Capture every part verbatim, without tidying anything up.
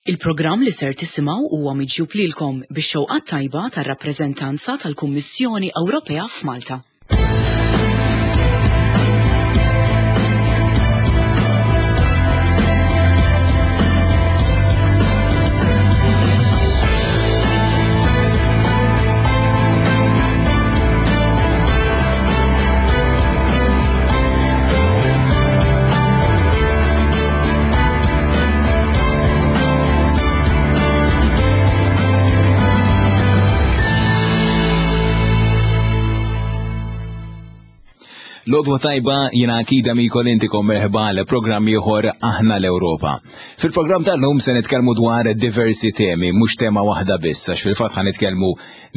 Il-programm li ser tisimgħu huwa miġjub lilkom bix-xewqa tajba tar-rappreżentanza tal-Kummissjoni Ewropea f'Malta. L-għodwa tajba jiena Akida Mikol intikom merħba għal programm ieħor Aħna l-Ewropa. Fil-programm tal-lum se nitkellmu dwar diversi temi, mhux tema waħda biss, għax fil-fatt ħa nitkellmu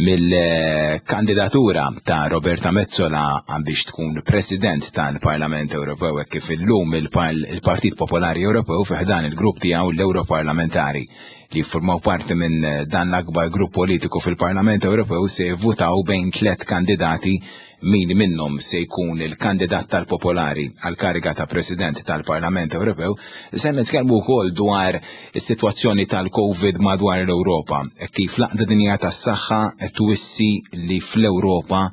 mill-kandidatura ta' Roberta Metsola biex tkun President tal-Parlament Ewropew hekk kif illum il-Partit Popolari Ewropew fi ħdan il-grupp tiegħu l-Ewroparlamentari li jiffurmaw parti minn dan l-akbar grupp politiku fil-Parlament Ewropew se jivvutaw bejn tliet kandidati min minnhom se jkun il-kandidat tal-Popolari għal kariga ta' President tal-Parlament Ewropew. Se nitkellmu wkoll dwar is-sitwazzjoni tal-Covid madwar l-Ewropa, kif l-Għaqda Dinjija tas-Saħħa qed twissi li fl-Ewropa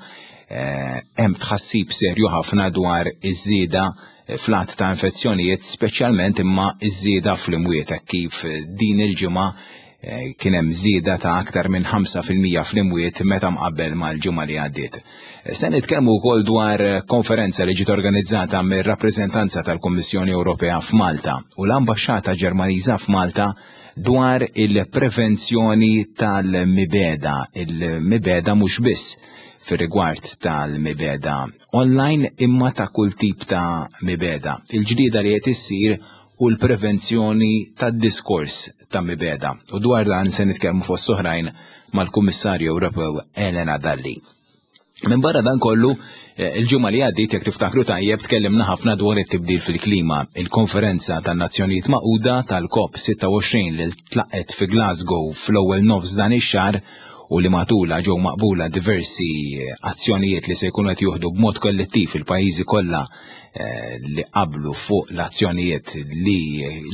hemm tħassib serju ħafna dwar iż-żieda fl-għadd ta' infezzjonijiet, speċjalment imma iż-żieda fl-imwiet, kif din il-ġimgħa kien hemm żieda ta' aktar minn ħamsa fil-mija fl-imwiet meta mqabbel mal-ġimgħa li għaddiet. Se nitkellmu wkoll dwar konferenza li ġiet organizzata mir-rappreżentanza tal-Kummissjoni Ewropea f'Malta u l-Ambaxxata Ġermaniża f'Malta dwar il-prevenzjoni tal-mibeda, il-mibeda mhux biss fir-rigward tal-mibeda online imma ta' kull tip ta' mibeda. Il-ġdida li qed issir u l-prevenzjoni tad-diskors ta' mibeda. U dwar dan se nitkellmu fost oħrajn mal-Kummissarju Ewropew Elena Dalli. Minn barra dan kollu, il-ġimgħa li għaddiet, jekk tiftakru tajjeb, tkellimna ħafna dwar it-tibdil fil-klima. Il-konferenza tan-Nazzjonijiet Magħquda tal-COP sitta u għoxrin li tlaqet fi Glasgow fl-ewwel nofs dan ix-xahar u li matula ġew maqbula diversi azzjonijiet li se jkunu qed juħdu b'mod kollettiv il-pajjiżi kollha li qablu fuq l-azzjonijiet li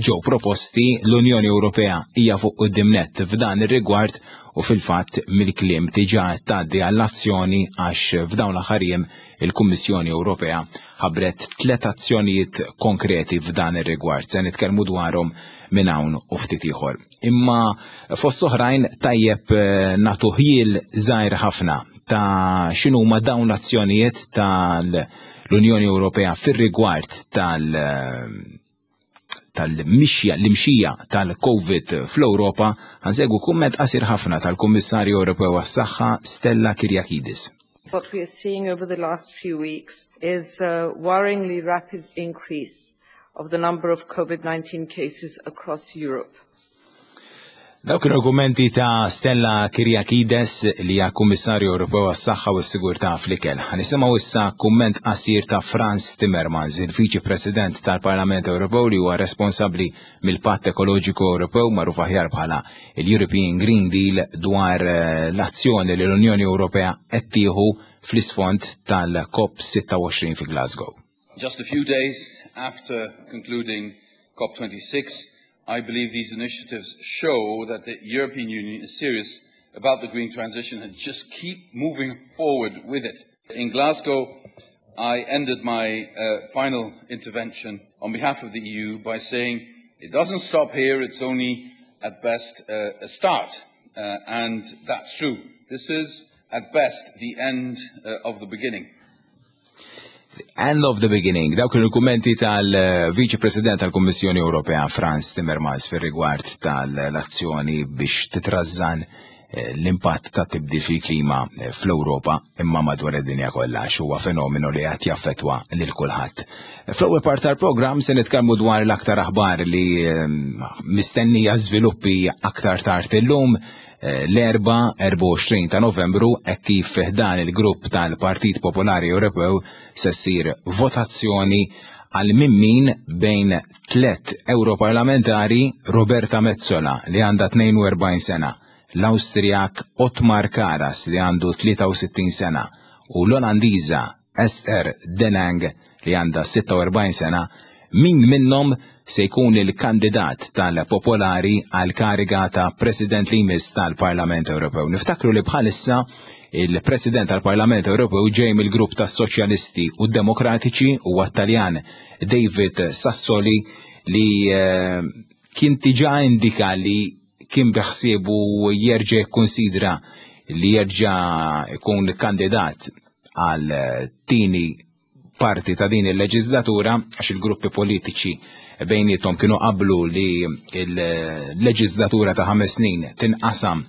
ġew proposti. L-Unjoni Ewropea hija fuq quddiem nett f'dan ir-rigward u fil-fatt mill-kliem diġà tgħaddi għall-azzjoni għax f'dawn l-aħħar jiem il-Kummissjoni Ewropea ħabbret tliet azzjonijiet konkreti f'dan ir-rigward. Se nitkellmu dwarhom minn hawn u ftit ieħor. Imma fost oħrajn tajjeb nagħtu ħjiel żgħir ħafna ta' x'inhuma dawn l-azzjonijiet tal-Unjoni Ewropea fir-rigward tal-, tal-mixja, l-imxija tal-Covid fl-Ewropa. Ħansegwu kumment qasir ħafna tal-Kummissarju Ewropew għas-Saħħa Stella Kyriakides. What we are seeing over the last few weeks is a worryingly rapid increase of the number of COVID nineteen cases across Europe. Dawk kienu kummenti ta' Stella Kyriakides li hija Kummissarju Ewropew għas-Saħħa u s-Sigurtà fl-Ikel. Ħanisimgħu issa kumment qasir ta' Frans Timmermans, il-Viċi President tal-Parlament Ewropew li huwa responsabbli mill-Patt Ekoloġiku Ewropew magħruf aħjar bħala l-European Green Deal, dwar l-azzjoni li l-Unjoni Ewropea qed tieħu fl-isfond tal-COP sitta u għoxrin fi Glasgow. Just a few days after concluding COP twenty-six, I believe these initiatives show that the European Union is serious about the green transition and just keep moving forward with it. In Glasgow, I ended my, uh, final intervention on behalf of the E U by saying it doesn't stop here, it's only at best, uh, a start. Uh, and that's true. This is, at best, the end, uh, of the beginning. End of the beginning. Dawk kienu l-kummenti tal-Viċi President tal-Kummissjoni Ewropea Frans Timmermans fir-rigward tal-azzjoni biex titrażżan l-impatt ta' tibdil fil-klima fl-Ewropa imma madwar id-dinja kollha, għax huwa fenomenu li qed jaffettwa lil kulħadd. Fl-ewwel part tal-programm se nitkellmu dwar l-aktar aħbar li mistennija żviluppi aktar tard illum, l-erba' erbgħa u għoxrin ta' Novembru, hekk kif fi ħdan il-grupp tal-Partit Popolari Ewropew se ssir votazzjoni għal min bejn tliet Europarlamentari: Roberta Metsola li għandha tnejn u erbgħin sena, l-Awstrijak Otmar Karas li għandu tlieta u sittin sena u l-Olandiża Esther de Lange li għandha sitta u erbgħin sena min minnhom se jkun il-kandidat tal-Popolari għal kariga ta' President li jmiss tal-Parlament Ewropew. Niftakru li bħalissa il-President tal-Parlament Ewropew ġej mill-grupp tas-Soċjalisti u Demokratiċi u Taljan David Sassoli, li eh, kien diġà indika li kien beħsiebu jerġa' jikkonsidra li jerġa' jkun kandidat għal tieni parti ta' din il-leġislatura, għax il-gruppi politiċi bejnietom kienu qablu li il-leġislatura ta' ħames snin tinqasam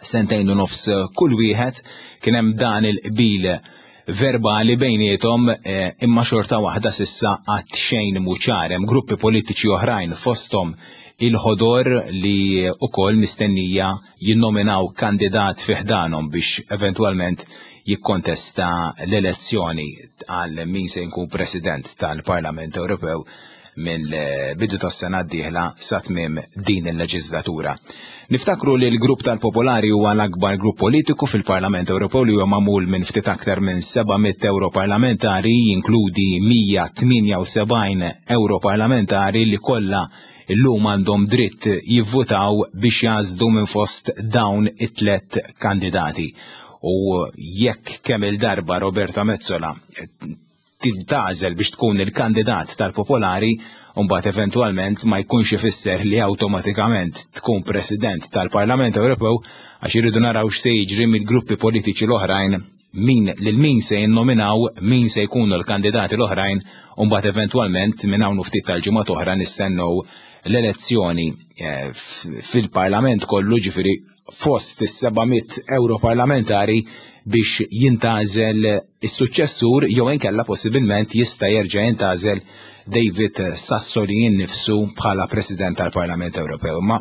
sentejn u nofs kull wieħed. Kien hemm dan il-qbil verbali bejnietom, eh, imma xorta waħda s'issa għad xejn mhu ċar. Hemm gruppi politiċi oħrajn, fosthom il-Ħodor, li ukoll mistennija jinnominaw kandidat fi ħdanhom biex eventwalment jikkontesta l-elezzjoni għal min se jkun President tal-Parlament Ewropew minn bidu tas-sena d-dieħla sa tmiem din il-leġislatura. Niftakru li l-grupp tal-Popolari huwa l-akbar grupp politiku fil-Parlament Ewropew, li huwa magħmul minn ftit aktar minn seba' mitt europarlamentari, jinkludi mija tmienja u sebgħin europarlamentari li kollha illum għandhom dritt jivvutaw biex jagħżlu minn fost dawn it-tlet kandidati. U jekk kemm il-darba Roberta Metsola tintgħażel biex tkun il-kandidat tal-Popolari, mbagħad eventwalment ma jkunx ifisser li awtomatikament tkun President tal-Parlament Ewropew, għax irridu naraw x'se jiġri mill-gruppi politiċi l-oħrajn, min lil min se jinnominaw, min se jkunu l-kandidati l-oħrajn, u mbagħad eventwalment minn hawn ftit tal-ġimgħat oħra nistennew l-elezzjoni eh, fil-Parlament kollu, ġifieri fost is-seba' mitt europarlamentari, biex jintgħażel is-suċċessur, jew inkella possibilment jista' jerġa' jintgħażel David Sassoli innifsu bħala President tal-Parlament Ewropew. Ma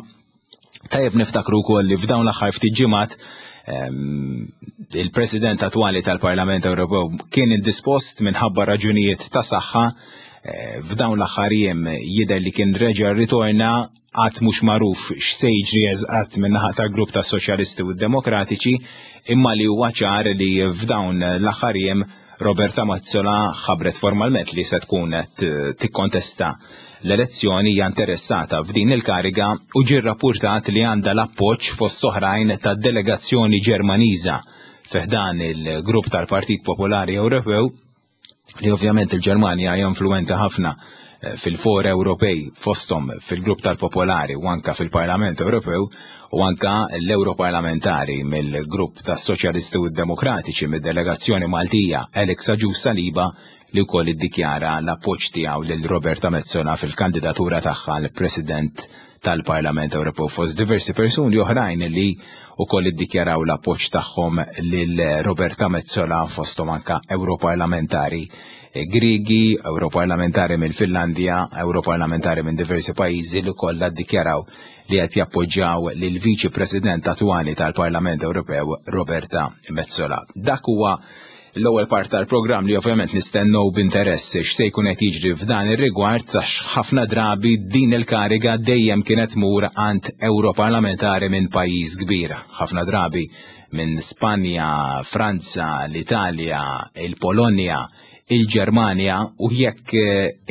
tajjeb niftakru wkoll li f'dawn l-aħħar ftit ġimgħat ehm, il-President attwali tal-Parlament Ewropew kien indispost minħabba raġunijiet ta' saħħa. eh, F'dawn l-aħħar jiem jidher li kien reġa' ritorna. Għad mhux magħruf x'se jiġri eżatt min-naħa tal-grupp tas Soċjalisti u Demokratiċi, imma li huwa ċar li f'dawn l-aħħar jiem Roberta Metsola ħabbret formalment li se tkun qed tikkontesta l-elezzjoni, hija interessata f'din il-kariga u ġie rapportat li għandha l-appoġġ, fost oħrajn, tad-delegazzjoni Ġermaniża fi ħdan il-grupp tal-Partit Popolari Ewropew, li ovvjament il-Ġermanja hija influenti ħafna eh, fil-for Ewropej, fosthom fil-grupp tal-Popolari u anka fil-Parlament Ewropew, u anka l-Europarlamentari mill-grupp tas-Soċjalisti u Demokratiċi mid-delegazzjoni Maltija, Alex Agius Saliba, li wkoll iddikjara l-appoġġ tiegħu lil Roberta Metsola fil-kandidatura tagħha l-President tal-Parlament Ewropew, fost diversi persuni oħrajn li wkoll iddikjaraw l-appoġġ tagħhom lil Roberta Metsola, fosthom anka Europarlamentari Grigi, Europarlamentari mill-Finlandja, Europarlamentari minn diversi pajjiżi li kollha ddikjaraw li qed jappoġġjaw lil Viċi President attwali tal-Parlament Ewropew Roberta Metsola. Dak huwa l-ewwel part tal-programm, li ovvjament nistennew b'interess x'se jkun qed jiġri f'dan ir-rigward, għax ħafna drabi din il-kariga dejjem kienet tmur għand europarlamentari minn pajjiż kbir. Ħafna drabi minn Spanja, Franza, l-Italja, il-Polonja, il-Ġermanja, u jekk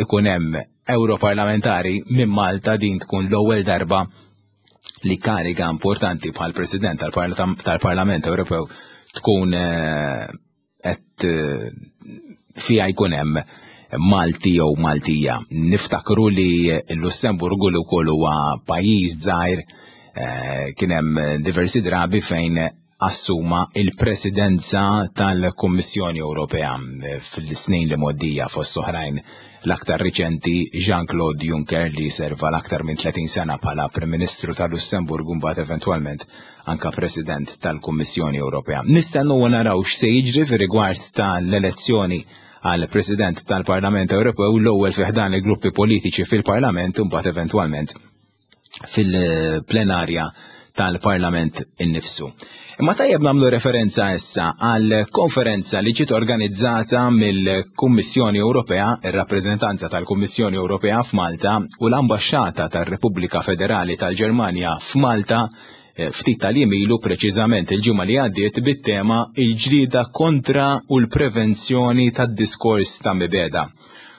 ikun hemm europarlamentari minn Malta, din tkun l-ewwel darba li kariga importanti bħal President tal-Parlament Ewropew tkun qed fiha jkun hemm Malti jew Maltija. Niftakru li l-Lussemburgu, li wkoll huwa pajjiż żgħir, kien hemm diversi drabi fejn assuma il-presidenza tal-Kummissjoni Ewropea fil-snin li mgħoddija, fost oħrajn l-aktar riċenti Jean-Claude Juncker, li serva l-aktar minn tletin sena bħala Prim Ministru tal-Lussemburgu, mbagħad eventwalment anka President tal-Kummissjoni Ewropea. Nistennu u naraw x'se jiġri fir-rigward tal-elezzjoni għal President tal-Parlament Ewropew, l-ewwel fi ħdan il-gruppi politiċi fil-Parlament u mbagħad eventwalment fil-plenarja tal-Parlament innifsu. Imma tajjeb nagħmlu referenza issa għal konferenza li ġiet organizzata mill-Kummissjoni Ewropea, ir-rappreżentanza tal-Kummissjoni Ewropea f'Malta u l-Ambaxxata tar-Repubblika Federali tal-Ġermanja f'Malta eh, ftit tal-jiem ilu, preċiżament il-ġimgħa li għaddiet, bit-tema "Il-ġlieda kontra u l-prevenzjoni tad-diskors ta' mibegħda".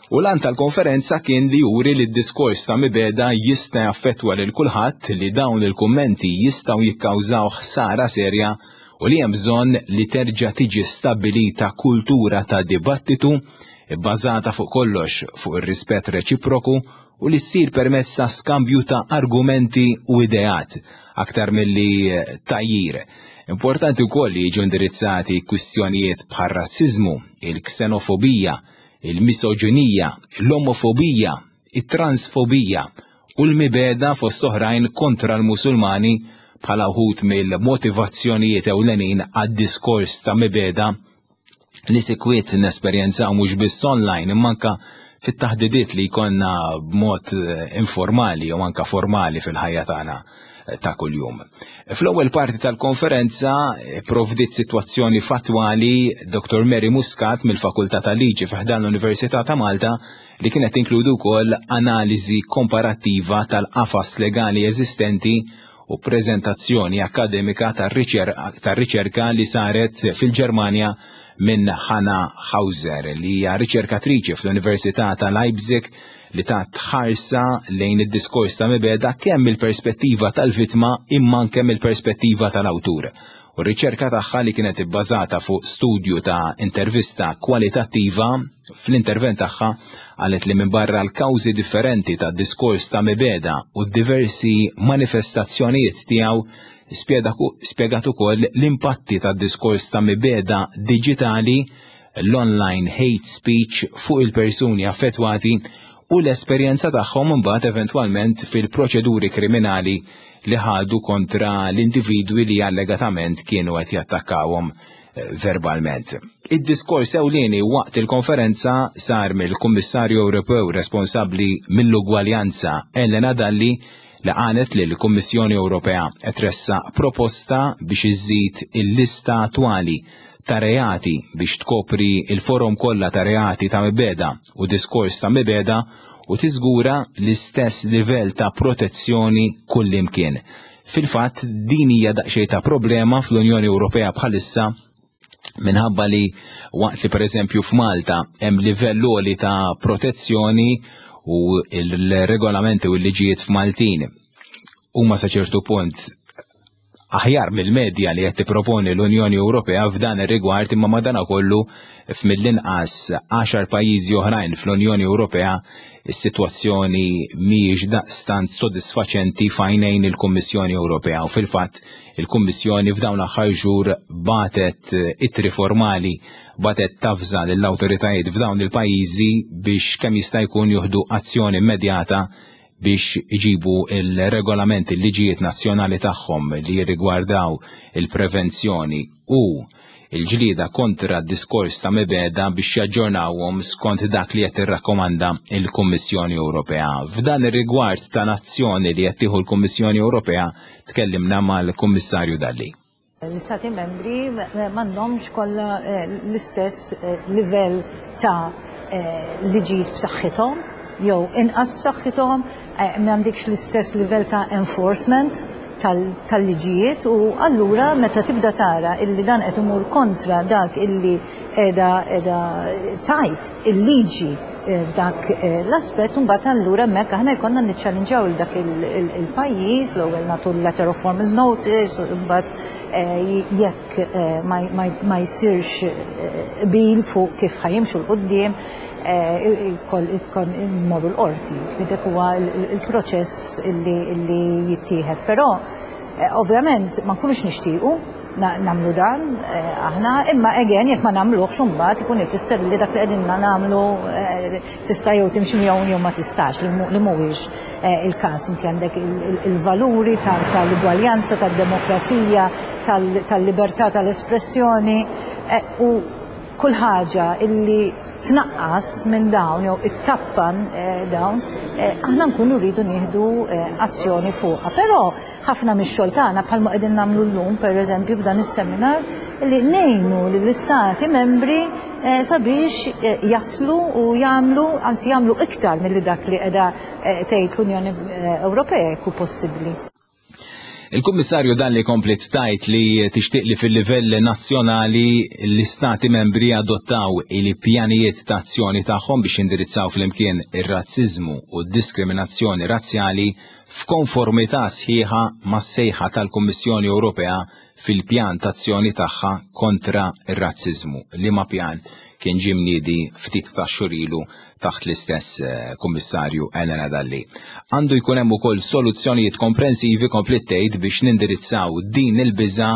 U l-għan tal-konferenza kien li juri li d-diskors ta' mibegħda jista' jaffettwa lil kulħadd, li dawn il-kummenti jistgħu jikkawżaw ħsara serja u li hemm bżonn li terġa' tiġi stabbilita kultura ta' dibattitu bbażata fuq kollox fuq ir-rispett reċiproku u li ssir permezz ta' skambju ta' argumenti u ideat aktar milli tgħajjir. Importanti wkoll li jiġu indirizzati kwistjonijiet bħal razziżmu, il-ksenofobija, il-misoġinija, l-omofobija, it-transfobija u l-mibegħda fost oħrajn kontra l-Musulmani bħala wħud mill-motivazzjonijiet ewlenin għad-diskors ta' mibegħda li sikwit nesperjenzaw mhux biss online imma anka fit-taħdidiet li jkollna b'mod informali u anka formali fil-ħajja tagħna ta' kuljum. Fl-ewwel parti tal-konferenza provdiet sitwazzjoni fattwali Doktor Mary Muscat mill-Fakultà tal-Liġi fi ħdan l-Università ta' Malta, li kienet tinkludu wkoll analiżi komparattiva tal-qafas legali eżistenti u preżentazzjoni akademika tar-riċerka li saret fil-Ġermanja minn Hanna Hauser, li hija riċerkatriċi fl-Università ta' Leipzig, li tat ħarsa lejn id-diskors ta' mibegħda kemm mill-perspettiva tal-vittma imma anke mill-perspettiva tal-awtur. U r-riċerka tagħha, li kienet ibbażata fuq studju ta' intervista kwalitattiva, fl-intervent tagħha qalet li minn barra l-kawżi differenti ta' diskors ta' mibegħda u diversi manifestazzjonijiet tiegħu, spjegat ukoll l-impatti ta' diskors ta' mibegħda diġitali, l-online hate speech, fuq il-persuni affettwati u l-esperjenza tagħhom imbagħad eventwalment fil-proċeduri kriminali li ħadu kontra l-individwi li allegatament kienu qed jattakkawhom verbalment. Id-diskors ewlieni waqt il-konferenza sar mill-Kummissarju Ewropew responsabbli mill-ugwaljanza Helena Dalli, li qalet li l-Kummissjoni Ewropea qed tressaq proposta biex iżżid il-lista attwali ta' reati biex tkopri il-forom kollha ta' reati ta' mibegħda u diskors ta' mibegħda u tiżgura l-istess livell ta' protezzjoni kullimkien. Fil-fatt, din hija daqsxejn ta' problema fl-Unjoni Ewropea bħalissa, minħabba li waqt li pereżempju f'Malta hemm livell għoli ta' protezzjoni u il-regolamenti u l-liġijiet f'Maltin huma sa ċertu punt aħjar mill-medja li qed tipproponi l-Unjoni Ewropea f'dan ir-rigward, imma madanakollu f'mill-inqas għaxar pajjiżi oħrajn fl-Unjoni Ewropea is-sitwazzjoni mhijiex daqstant sodisfaċenti f'għajnejn il-Kummissjoni Ewropea, u fil-fatt il-Kummissjoni f'dawn l-aħħar xhur bagħtet ittri formali, bagħtet tavża lill-awtoritajiet f'dawn il-pajjiżi biex kemm jista' jkun jieħdu azzjoni immedjata biex iġibu il-regolamenti, il-liġijiet nazzjonali tagħhom li jirrigwardaw il-prevenzjoni u il-ġlida kontra d-diskors ta' mibegħda biex jaġġornawhom skont dak li qed tirrakkomanda il-Kummissjoni Ewropea. F'dan ir-rigward ta' azzjoni li qed tieħu l-Kummissjoni Ewropea tkellimna mal-Kummissarju Dalli. L-Istati membri m'għandhomx kollha eh, l-istess eh, livell ta' eh, liġijiet b'saħħithom jew inqas b'saħħithom, m'għandekx l-istess livell ta' enforcement tal-liġijiet u allura meta tibda tara illi dan qed imur kontra dak illi qiegħda qiegħda tgħid il-liġi f'dak l-aspett, mbagħad allura hemmhekk aħna jkollna niċċallinġaw il dak il-pajjiż, l-ewwel nagħtu letter of formal notice u mbagħad jekk ma jsirx qbil fuq kif ħa jimxu 'l quddiem, ikon immorru l-qorti. Dik huwa il-proċess illi jittieħed. Però ovvjament ma nkunux nixtiequ nagħmlu dan aħna, imma again, jekk ma nagħmluhx, imbagħad ikun ifisser li dak li qegħdin nagħmlu tista' jew timxi miegħu jew ma tistax, li mhuwiex il-każ. Inti għandek il-valuri tal-ugwaljanza, tad-demokrazija, tal-libertà tal-espressjoni u kull ħaġa illi tnaqqas minn dawn jew ittappan dawn, aħna nkunu rridu nieħdu azzjoni fuqha. Però ħafna mix-xogħol tagħna, bħalma qegħdin nagħmlu llum pereżempju f'dan is-seminar, li ngħinu lill-istati membri sabiex jaslu u jagħmlu, anzi jagħmlu iktar milli dak li qiegħda tgħid l-Unjoni Ewropea jekk hu possibbli. Il-Kummissarju Dalli kompliet tgħid li tixtieq li fil-livell nazzjonali l-istati membri adottaw il-pjanijiet ta' azzjoni tagħhom biex indirizzaw flimkien ir-razziżmu u d-diskriminazzjoni razzjali f'konformità sħiħa mas-sejħa tal-Kummissjoni Ewropea fil-pjan ta' azzjoni tagħha kontra ir-razziżmu, liema pjan kien ġie mniedi ftit ta' xhur ilu taħt l-istess eh, kummissarju Elena Dalli. Għandu jkun hemm ukoll soluzzjonijiet komprensivi, kompliet tgħid, biex nindirizzaw din il-biża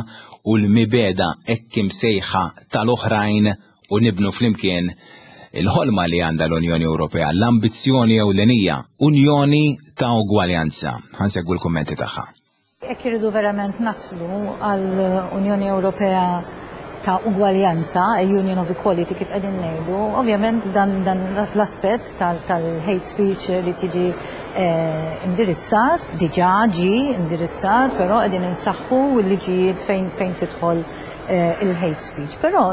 u l-mibegħda hekk imsejħa tal-oħrajn u nibnu flimkien il-ħolma li għandha l-Unjoni Ewropea, l-ambizzjoni ewlenija, Unjoni ta' Ugwaljanza. Ħa nsegwu l-kummenti tagħha. Jekk irridu verament naslu għal Unjoni Ewropea ta' ugwaljanza, a Union of Equality kif qegħdin ngħidu, ovvjament dan, dan l-aspett tal-hate speech li tiġi eh, indirizzat, diġà ġi indirizzat, però qegħdin insaħħu l-liġijiet fejn fejn tidħol eh, il-hate speech. Però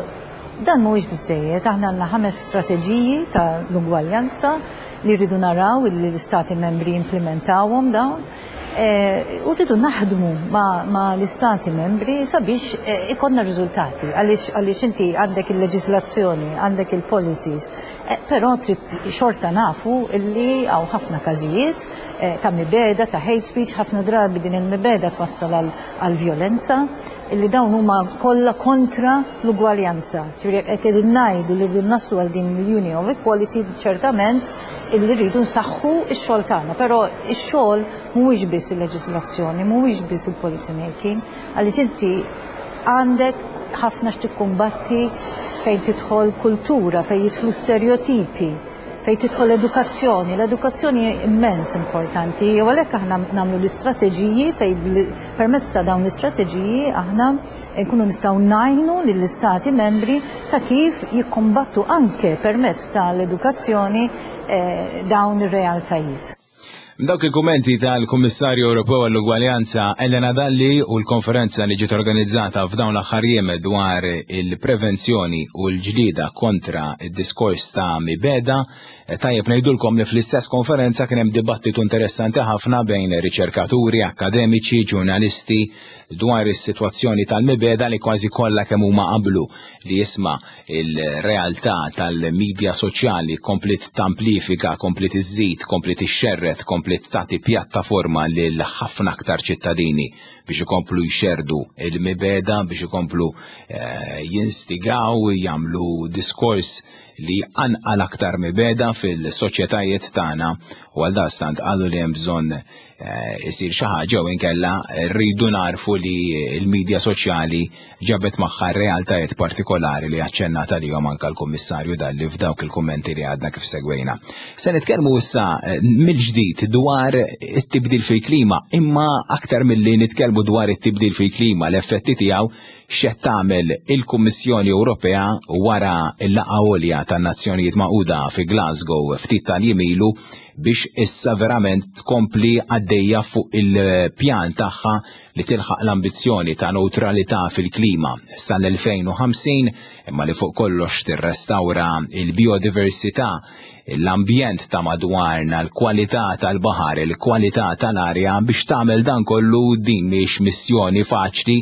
dan mhuwiex biżejjed, aħna għandna ħames strateġiji ta' l-ugwaljanza li rridu naraw li l-istati membri implementawhom dawn. Eh, u rridu naħdmu ma, ma l-istati membri sabiex eh, ikollna riżultati, għaliex għaliex inti għandek il-leġislazzjoni, għandek il-policies, eh, però trid xorta nafu illi hawn ħafna każijiet ta' mibegħda, ta' hate speech, ħafna drabi din il-mibegħda twassal għal violenza, illi dawn huma kollha kontra l-ugwaljanza. Ġifieri qed qegħdin ngħidu li rridu naslu għal din l-Union of Equality, ċertament illi rridu nsaħħu x-xogħol tagħna, però x-xogħol mhuwiex biss il-leġislazzjoni, mhuwiex biss il-policy making, għaliex inti għandek ħafna x'tikkumbatti fejn tidħol kultura, fejn jidħlu stereotipi, fejn tidħol edukazzjoni. L-edukazzjoni immens importanti, u għalhekk aħna nagħmlu l-istrateġiji fejn permezz ta' dawn l-istrateġiji aħna nkunu nistgħu ngħinu lill-istati membri ta' kif jikkombattu anke permezz tal-edukazzjoni eh, dawn ir-realtajiet. Dawk il-kummenti tal-Kummissarju Ewropew għall-Ugwaljanza Elena Dalli u l-konferenza li ġiet organizzata f'dawn l-aħħar jiem dwar il-prevenzjoni u l-ġlida kontra id-diskors ta' mibegħda. Tajjeb ngħidulkom li fl-istess konferenza kien hemm dibattitu interessanti ħafna bejn riċerkaturi, akademiċi, ġurnalisti dwar is-sitwazzjoni tal-mibegħda, li kważi kollha kemm huma qablu li jisma' il-realtà tal-medja soċjali kompliet tamplifika, kompliet iżżid, kompliet ixxerred, kompliet tagħti pjattaforma lil ħafna aktar ċittadini biex ikomplu jxerdu il-mibegħda, biex ikomplu eh, jinstigaw, jagħmlu diskors li jqanqal aktar mibegħda fil-soċjetajiet tagħna, u għal daqstant qalu li hemm bżonn eh, isir xi ħaġa u inkella rridu narfu li l-medja soċjali ġabet magħha realtajiet partikolari li aċċennat għalihom anke l-Kummissarju Dalli f'dawk il-kummenti li għadna kif segwejna. Se nitkellmu issa eh, mill-ġdid dwar it-tibdil fil-klima, imma aktar milli nitkellmu dwar it-tibdil fil-klima, l-effetti tiegħu, x'qed tagħmel il-Kummissjoni Ewropea wara l-laqgħa għolja tan-Nazzjonijiet Magħquda fi Glasgow ftit tal-jiem ilu biex issa verament tkompli għaddejja fuq il-pjan tagħha li tilħaq l-ambizzjoni ta' neutralità fil-klima sal-elfejn u ħamsin, imma li fuq kollox tirrestawra il-biodiversità, l-ambjent ta' madwarna, l-kwalità tal-baħar, il-kwalità tal-arja. Biex tagħmel dan kollu, din mhix missjoni faċli,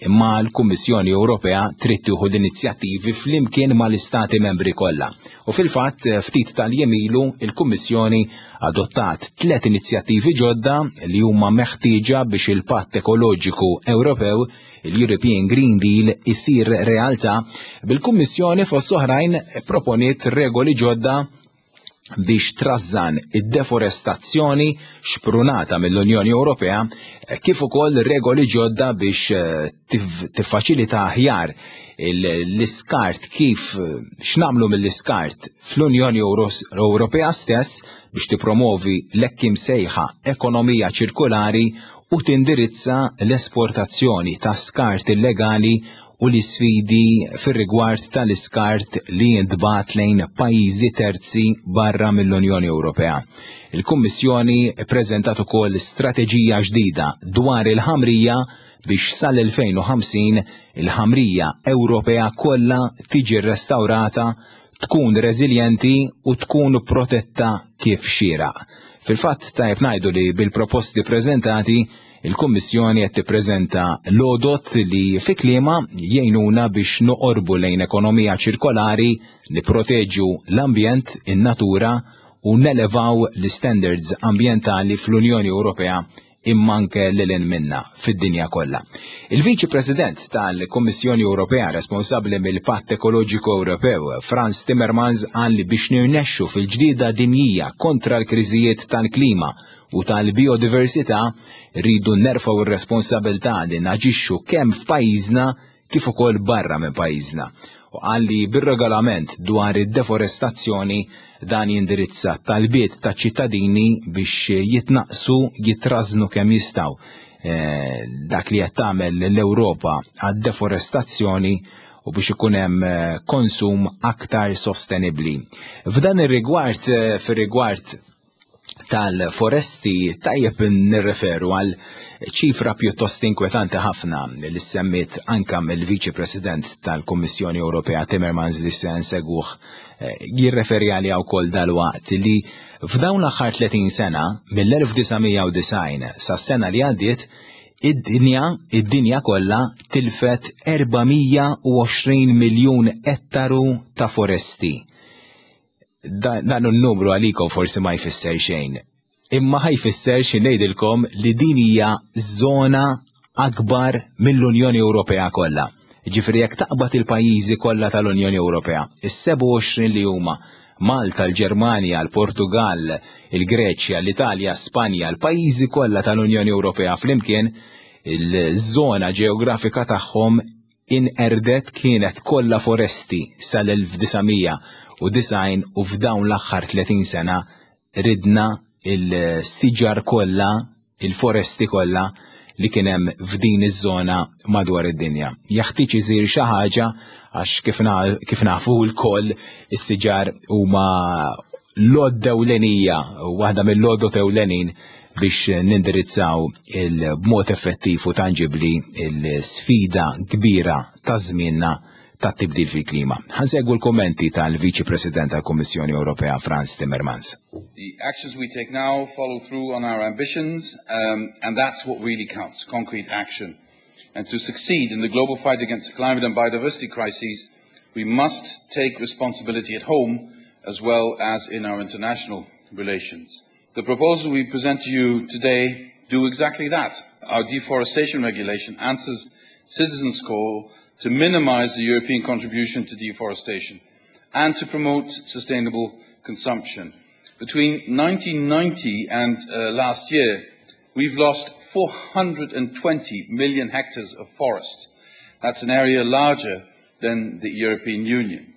imma l-Kummissjoni Ewropea trid tieħu l-inizjattivi flimkien mal-istati membri kollha. U fil-fatt ftit tal-jiem ilu il-Kummissjoni adottat tliet inizjattivi ġodda li huma meħtieġa biex il-Patt Ekoloġiku Ewropew, il-European Green Deal, isir realtà, bil-Kummissjoni fost oħrajn proponiet regoli ġodda biex trażżan id-deforestazzjoni xprunata mill-Unjoni Ewropea, kif ukoll regoli ġodda biex eh, tiffaċilita aħjar l-iskart, kif x'nagħmlu mill-iskart fl-Unjoni Ewropea stess, biex tipromovi l-hekk imsejħa ekonomija ċirkolari u tindirizza l-esportazzjoni ta' skart illegali u l-isfidi fir-rigward tal-iskart li jintbagħat lejn pajjiżi terzi barra mill-Unjoni Ewropea. Il-Kummissjoni preżentat ukoll strateġija ġdida dwar il-ħamrija biex sal-elfejn u ħamsin il-ħamrija Ewropea kollha tiġi restaurata, tkun reżiljenti u tkun protetta kif xieraq. Fil-fatt tajb ngħidu li bil-proposti preżentati Il-Kummissjoni qed tippreżenta l-għodot li fi kliemha jgħinuna biex noqorbu lejn ekonomija ċirkolari, nipproteġu l-ambjent, in-natura u nelevaw l-standards ambjentali fl-Unjoni Ewropea imma anke lil hinn minna fid-dinja kollha. Il-Viċi President tal-Kummissjoni Ewropea responsabbli mill-Patt Ekoloġiku Ewropew, Frans Timmermans, qal li biex nirnexxu fil-ġlieda dinjija kontra l-kriżijiet tal-klima u tal-biodiversità rridu nerfgħu ir-responsabilità li naġixxu kemm f'pajjiżna kif ukoll barra minn pajjiżna. U qal li bir-regolament dwar id-deforestazzjoni dan jindirizza talbiet ta' ċittadini biex jitnaqsu, jitrażnu kemm jistgħu eh, dak li qed tagħmel l-Ewropa għad-deforestazzjoni u biex ikun hemm eh, konsum aktar sostenibbli. F'dan ir-rigward, eh, fir-rigward tal-foresti, tajjeb nirreferu għal ċifra pjuttost inkwetanti ħafna li semmiet anka mill-Viċi President tal-Kummissjoni Ewropea Timmermans li se nsegwuh eh, jirreferi għaliha wkoll dalwaqt, li f'dawn l-aħħar tletin sena, mill-elf disa' mija u disgħin sas-sena li għaddiet, id-dinja id-dinja kollha tilfet erba' mija u għoxrin miljun ettaru ta' foresti. Dan n-numru għalikom forsi ma jfisser xejn. Imma ħa jfisser xi ngħidilkom li din hija żona akbar mill-Unjoni Ewropea kollha. Ġifieri jekk taqbad il-pajjiżi kollha tal-Unjoni Ewropea, is-sebgħa u għoxrin li huma Malta, l-Ġermanja, l-Portugal, il-Greċja, l-Italja, Spanja, l-pajjiżi kollha tal-Unjoni Ewropea flimkien, il-żona ġeografika tagħhom inqerdet, kienet kollha foresti sal-elf disa' mija u disgħin u f'dawn l-aħħar tletin sena ridna il-siġar kollha, il-foresti kollha li kien hemm f'din iż-żona madwar id-dinja. Jaħtieġ isir xi ħaġa għax kif nafu lkoll is-siġar huma l-għodda ewlenija, waħda mill-għodod ewlenin biex nindirizzaw il-b'mod effettiv u tangibli il-sfida kbira ta' żmienna ta' tibdil fil-klima. Ħa nsegwu l-kommenti tal-Viċi President tal-Kummissjoni Ewropea Frans Timmermans. The actions we take now follow through on our ambitions, um, and that's what really counts, concrete action. And to succeed in the global fight against the climate and biodiversity crises, we must take responsibility at home as well as in our international relations. The proposal we present to you today do exactly that. Our deforestation regulation answers citizens' call to minimize the European contribution to deforestation and to promote sustainable consumption. Between nineteen ninety and uh, last year, we've lost four hundred twenty million hectares of forest. That's an area larger than the European Union.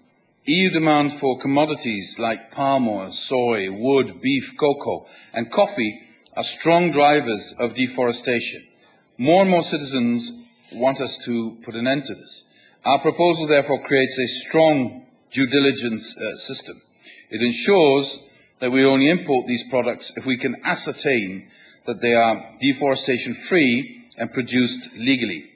E U demand for commodities like palm oil, soy, wood, beef, cocoa, and coffee are strong drivers of deforestation. More and more citizens want us to put an end to this. Our proposal therefore creates a strong due diligence uh, system. It ensures that we only import these products if we can ascertain that they are deforestation free and produced legally.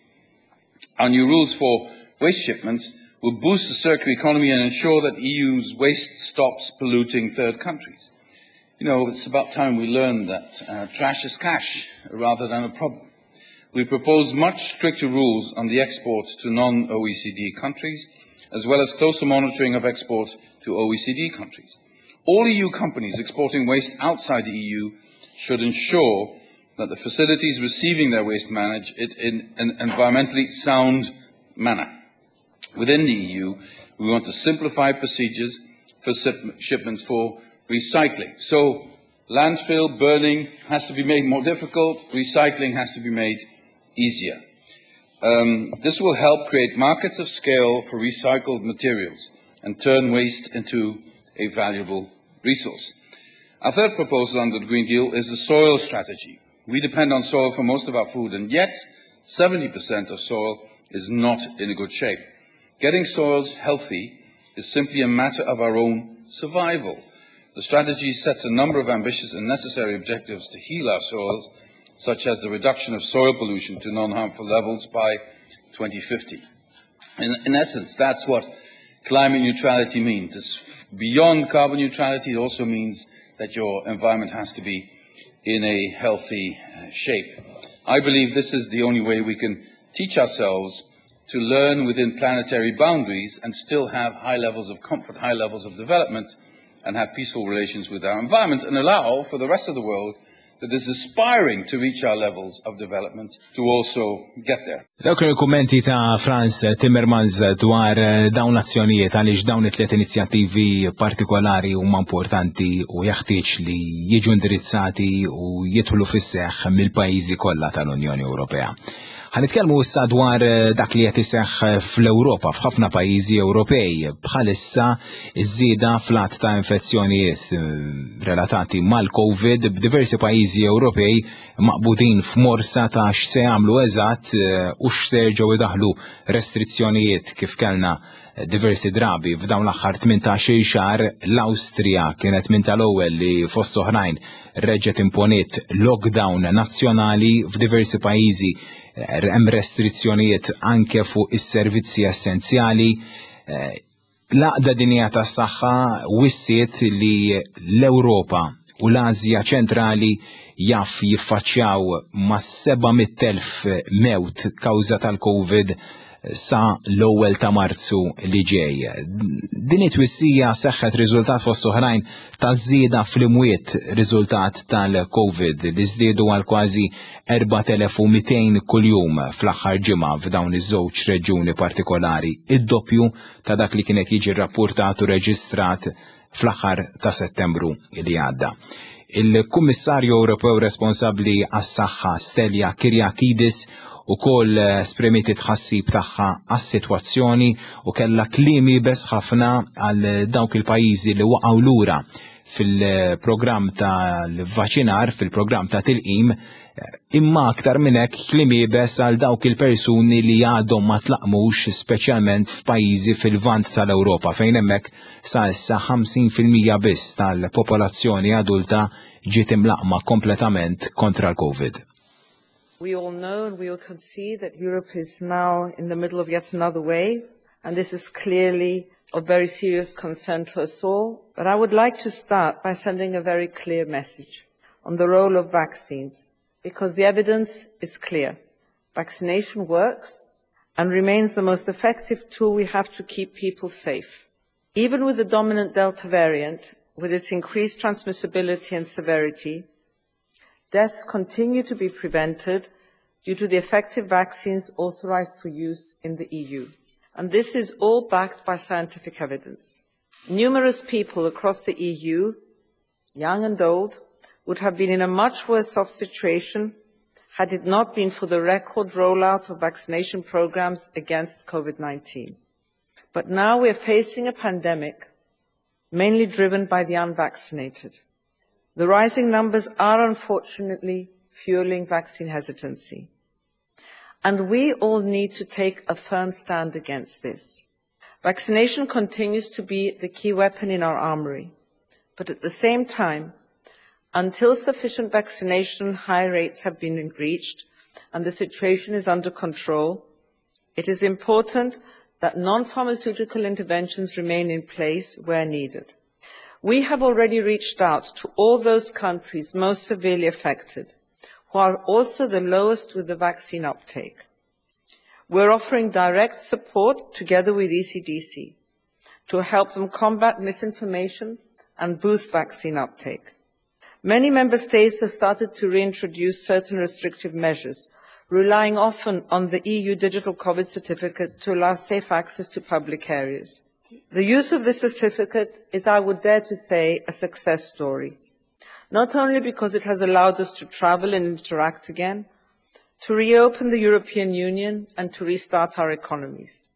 Our new rules for waste shipments will boost the circular economy and ensure that E U's waste stops polluting third countries. You know, it's about time we learned that uh, trash is cash rather than a problem. We propose much stricter rules on the export to non-O E C D countries, as well as closer monitoring of export to O E C D countries. All E U companies exporting waste outside the E U should ensure that the facilities receiving their waste manage it in an environmentally sound manner. Within the E U, we want to simplify procedures for shipments for recycling. So, landfill burning has to be made more difficult, recycling has to be made easier. Um, this will help create markets of scale for recycled materials and turn waste into a valuable resource. Our third proposal under the Green Deal is the soil strategy. We depend on soil for most of our food, and yet seventy percent of soil is not in a good shape. Getting soils healthy is simply a matter of our own survival. The strategy sets a number of ambitious and necessary objectives to heal our soils, such as the reduction of soil pollution to non-harmful levels by twenty fifty. In, in essence, that's what climate neutrality means. It's beyond carbon neutrality. It also means that your environment has to be in a healthy uh, shape. I believe this is the only way we can teach ourselves to learn within planetary boundaries and still have high levels of comfort, high levels of development, and have peaceful relations with our environment and allow for the rest of the world that is aspiring to reach our levels of development to also get there. Dawk il-kummenti ta' Frans Timmermans dwar eh, dawn l-azzjonijiet għaliex dawn it-tliet inizjattivi partikolari huma importanti u jeħtieġ li jiġu indirizzati u jidħlu fis-seħħ mill-pajjiżi kollha tal-Unjoni Ewropea. Ħa nitkellmu issa dwar eh, dak li qed iseħħ fl-Ewropa f'ħafna pajjiżi Ewropej bħalissa iż-żieda fl-għadd ta' infezzjonijiet eh, relatati mal-Covid b'diversi pajjiżi Ewropej maqbudin f'morsa ta' x'se jagħmlu eżatt eh, u x'se jerġgħu idaħlu restrizzjonijiet kif kellna diversi drabi f'dawn l-aħħar tmintax-il xahar. L-Awstrija kienet minn tal-ewwel li fost oħrajn reġgħet imponiet lockdown nazzjonali. F'diversi pajjiżi hemm restrizzjonijiet anke fuq is-servizzi essenzjali. L-Għaqda Dinjija tas-Saħħa wissiet li l-Ewropa u l-Asja ċentrali jaf jiffaċċjaw ma' seba' mitt elf mewt kawża tal-Covid sa l-ewwel ta' Marzu li ġej. Din it-twissija seħħet riżultat fost oħrajn ta' żieda fl-imwiet riżultat tal-Covid li żdiedu għal kważi erbat elef u mitejn kuljum fl-aħħar ġimgħa f'dawn iż-żewġ reġjuni partikolari, id-doppju ta' dak li kienet jiġi rapportat u reġistrat fl-aħħar ta' Settembru li għadda. Il-Kummissarju Ewropew responsabbli għas-saħħa Stella Kyriakides ukoll esprimiet tħassib tagħha għas-sitwazzjoni u kellha kliem iebes ħafna għal dawk il-pajjiżi li waqgħu lura fil-programm tal-vaċinar, fil-programm ta' tilqim, imma aktar minn hekk kliem iebes għal dawk il-persuni li għadhom ma tlaqmux, speċjalment f'pajjiżi fil-vant tal-Ewropa fejn hemmhekk sa issa ħamsin fil-mija biss tal-popolazzjoni adulta ġiet imlaqma kompletament kontra l-Covid. We all know and we all can see that Europe is now in the middle of yet another wave, and this is clearly of very serious concern to us all. But I would like to start by sending a very clear message on the role of vaccines, because the evidence is clear. Vaccination works and remains the most effective tool we have to keep people safe. Even with the dominant Delta variant, with its increased transmissibility and severity, deaths continue to be prevented due to the effective vaccines authorized for use in the E U. And this is all backed by scientific evidence. Numerous people across the E U, young and old, would have been in a much worse off situation had it not been for the record rollout of vaccination programs against COVID nineteen. But now we are facing a pandemic mainly driven by the unvaccinated. The rising numbers are unfortunately fueling vaccine hesitancy. And we all need to take a firm stand against this. Vaccination continues to be the key weapon in our armory. But at the same time, until sufficient vaccination high rates have been reached and the situation is under control, it is important that non-pharmaceutical interventions remain in place where needed. We have already reached out to all those countries most severely affected, who are also the lowest with the vaccine uptake. We're offering direct support together with E C D C to help them combat misinformation and boost vaccine uptake. Many member states have started to reintroduce certain restrictive measures, relying often on the E U digital COVID certificate to allow safe access to public areas. The use of this certificate is, I would dare to say, a success story. Not only because it has allowed us to travel and interact again, to reopen the European Union and to restart our economies.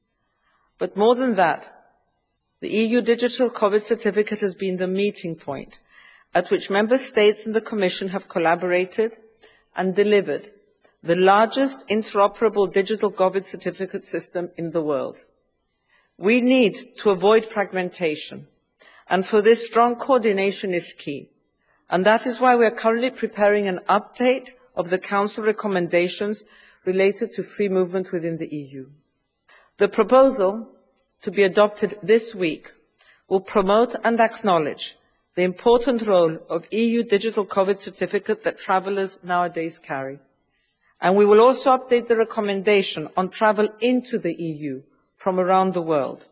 But more than that, the E U digital COVID certificate has been the meeting point at which member states and the Commission have collaborated and delivered the largest interoperable digital COVID certificate system in the world. We need to avoid fragmentation, and for this, strong coordination is key. And that is why we are currently preparing an update of the Council recommendations related to free movement within the E U. The proposal, to be adopted this week, will promote and acknowledge the important role of E U digital COVID certificate that travellers nowadays carry. And we will also update the recommendation on travel into the E U from around the world.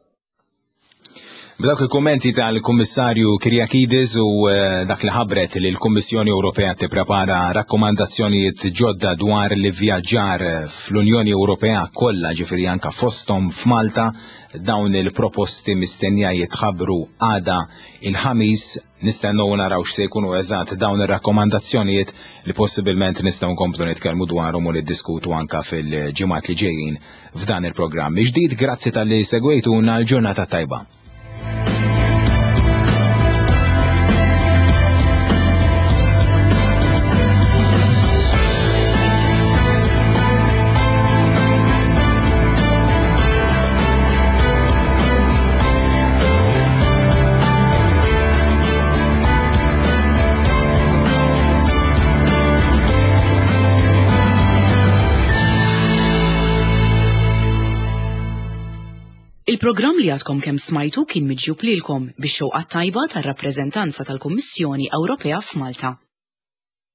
B'dawk il-kommenti tal-Kummissarju Kyriakides u eh, dak li ħabbret li l-Kummissjoni Ewropea tipprepara rakkomandazzjonijiet ġodda dwar l-vjaġġar fl-Unjoni Ewropea kollha, ġifieri anka fosthom f'Malta, dawn il-proposti mistennija jitħabbru għada il-Ħamis. Nistennew naraw x'se jkunu eżatt dawn ir-rakkomandazzjonijiet li possibilment nistgħu nkomplu nitkellmu dwarhom u niddiskutu anka fil-ġimgħat li ġejjin f'dan il-programm. Ġdid, grazzi talli segwejtuna, l-ġurnata tajba. Il-programm li għadkom kemm smajtu kien miġjub lilkom bix-xewqa tajba tar-rappreżentanza tal-Kummissjoni Ewropea f'Malta.